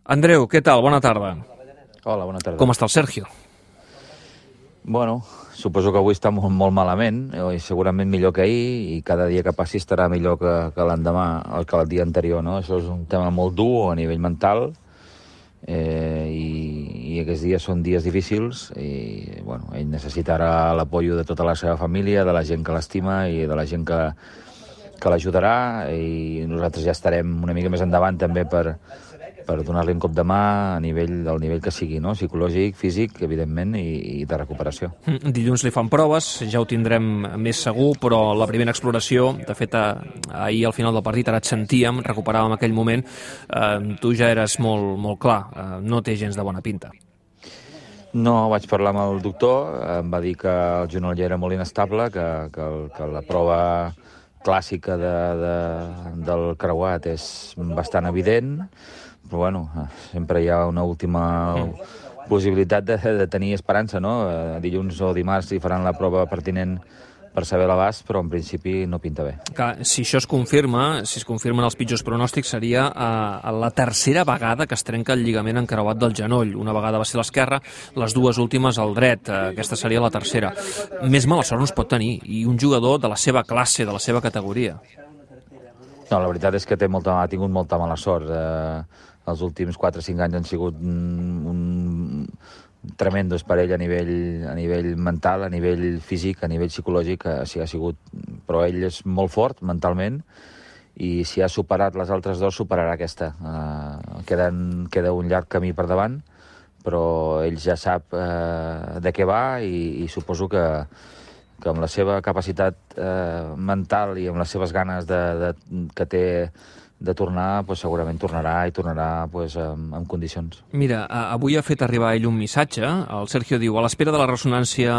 Andreu, què tal? Bona tarda. Hola, bona tarda. Com està el Sergio? Bueno, suposo que avui està molt malament, i segurament millor que ahir, i cada dia que passi estarà millor que l'endemà, que el dia anterior, no? Això és un tema molt dur a nivell mental, i aquests dies són dies difícils, i bueno, ell necessitarà l'apoio de tota la seva família, de la gent que l'estima i de la gent que l'ajudarà, i nosaltres ja estarem una mica més endavant també per donar-li un cop de mà del nivell que sigui, no? Psicològic, físic, evidentment, i de recuperació. Dilluns li fan proves, ja ho tindrem més segur, però la primera exploració, de fet, ahir al final del partit, ara et sentíem, recuperàvem aquell moment, tu ja eres molt clar, no té gens de bona pinta. No, vaig parlar amb el doctor, em va dir que el genoll era molt inestable, que la prova clàssica del creuat és bastant evident, però bueno, sempre hi ha una última possibilitat de tenir esperança, no? Dilluns o dimarts hi faran la prova pertinent per saber l'abast, però en principi no pinta bé. Clar, si això es confirma, si es confirmen els pitjors pronòstics, seria la tercera vegada que es trenca el lligament encreuat del genoll. Una vegada va ser l'esquerra, les dues últimes al dret. Aquesta seria la tercera. Més mala sort no es pot tenir, i un jugador de la seva classe, de la seva categoria. No, la veritat és que ha tingut molta mala sort. Els últims 4 o 5 anys han sigut tremendos per ell a nivell mental, a nivell físic, a nivell psicològic, ha sigut... Però ell és molt fort mentalment, i si ha superat les altres dues, superarà aquesta. Queda un llarg camí per davant, però ell ja sap de què va, i suposo que amb la seva capacitat mental i amb les seves ganes que té de tornar, pues segurament tornarà, i tornarà pues, en condicions. Mira, avui ha fet arribar ell un missatge. El Sergio diu: a l'espera de la ressonància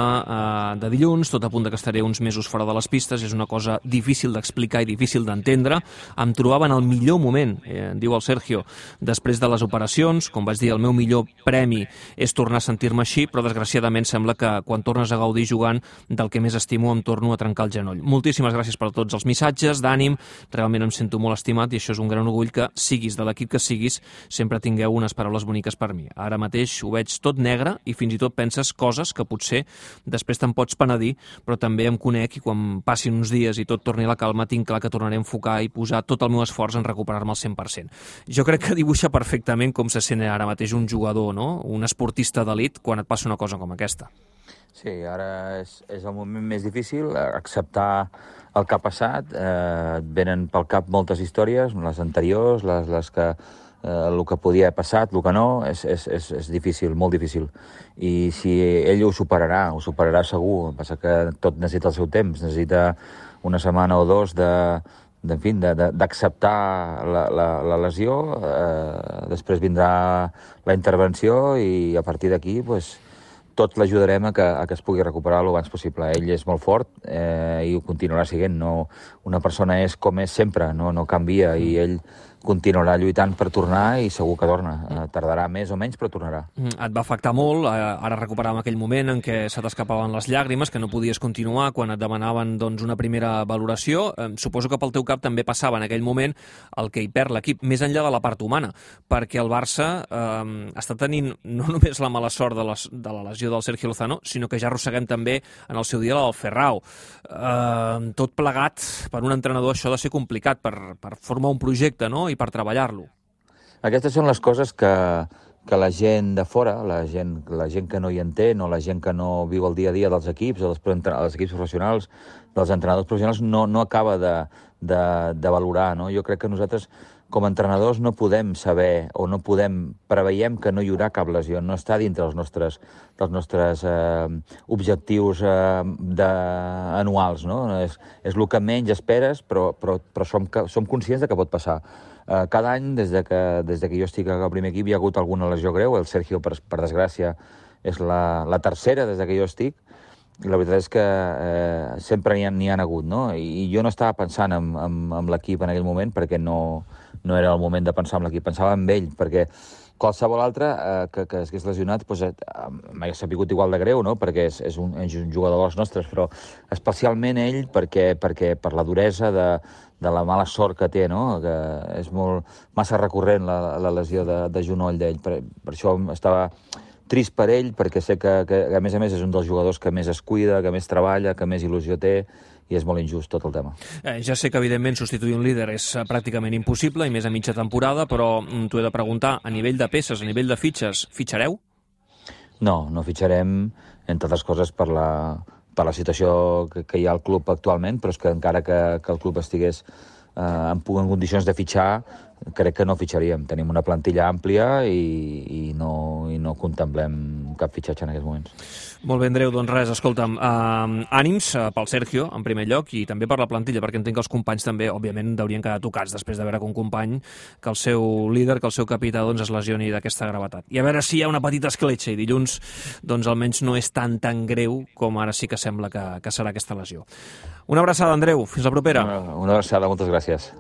de dilluns, tot apunta que estaré uns mesos fora de les pistes, és una cosa difícil d'explicar i difícil d'entendre. Em trobava en el millor moment, diu el Sergio, després de les operacions. Com vaig dir, el meu millor premi és tornar a sentir-me així, però desgraciadament sembla que quan tornes a gaudir jugant del que més estimo em torno a trencar el genoll. Moltíssimes gràcies per tots els missatges d'ànim, realment em sento molt estimat, i això és un gran orgull que, siguis de l'equip que siguis, sempre tingueu unes paraules boniques per mi. Ara mateix ho veig tot negre, i fins i tot penses coses que potser després te'n pots penedir, però també em conec, i quan passin uns dies i tot torni a la calma, tinc clar que tornaré a enfocar i posar tot el meu esforç en recuperar-me al 100%. Jo crec que dibuixa perfectament com se sent ara mateix un jugador, no? Un esportista d'elit quan et passa una cosa com aquesta. Sí, ara és el moment més difícil, acceptar el que ha passat. Et venen pel cap moltes històries, les anteriors, les que el que podia haver passat, el que no, és difícil, molt difícil. I si ell ho superarà segur. El que passa que tot necessita el seu temps, necessita una setmana o dos d'acceptar la lesió, després vindrà la intervenció, i a partir d'aquí pues, tots l'ajudarem a que es pugui recuperar el abans possible. Ell és molt fort, i ho continuarà sent. No, una persona és com és sempre, no canvia, i ell continuarà lluitant per tornar, i segur que torna. Tardarà més o menys, però tornarà. Et va afectar molt, ara recuperàvem aquell moment en què se t'escapaven les llàgrimes, que no podies continuar quan et demanaven una primera valoració. Suposo que pel teu cap també passava en aquell moment el que hi perd l'equip, més enllà de la part humana, perquè el Barça està tenint no només la mala sort de la lesió del Sergio Lozano, sinó que ja arrosseguem també en el seu dia la del Ferrao. Tot plegat, per un entrenador això ha de ser complicat, per formar un projecte, no?, i per treballar-lo. Aquestes són les coses que la gent de fora, la gent que no hi entén, o la gent que no viu el dia a dia dels equips, o dels equips professionals, dels entrenadors professionals, no acaba de valorar, no? Jo crec que nosaltres, com a entrenadors, no podem saber, o preveiem que no hi haurà cap lesió, no està dintre dels nostres objectius anuals, no? És el que menys esperes, però som conscients de que pot passar. Cada any, des que jo estic al primer equip, hi ha hagut alguna lesió greu. El Sergio, per desgràcia, és la tercera des que jo estic. La veritat és que sempre n'hi ha hagut, no? I jo no estava pensant en l'equip en aquell moment, perquè no era el moment de pensar en l'equip. Pensava en ell, perquè qualsevol altre que s'hagués lesionat m'hagués sabut igual de greu, no? Perquè és un jugador dels nostres, però especialment ell, perquè per la duresa la mala sort que té, no? Que és massa recurrent la lesió de genoll d'ell. Per això estava trist per ell, perquè sé que a més és un dels jugadors que més es cuida, que més treballa, que més il·lusió té, i és molt injust tot el tema. Ja sé que, evidentment, substituir un líder és pràcticament impossible, i més a mitja temporada, però t'ho he de preguntar, a nivell de peces, a nivell de fitxes, fitxareu? No fitxarem, entre altres coses, per la situació que hi ha al club actualment, però és que encara que el club estigués en condicions de fitxar, crec que no fitxaríem. Tenim una plantilla àmplia i no contemplem cap fitxatge en aquests moments. Molt bé, Andreu, doncs res, escolta'm, ànims pel Sergio, en primer lloc, i també per la plantilla, perquè entenc que els companys també, òbviament, haurien quedat tocats després de veure que un company, que el seu líder, que el seu capità, doncs, es lesioni d'aquesta gravetat. I a veure si hi ha una petita escletxa, i dilluns, doncs, almenys no és tan greu com ara sí que sembla que serà aquesta lesió. Una abraçada, Andreu. Fins la propera. Una abraçada, moltes gràcies.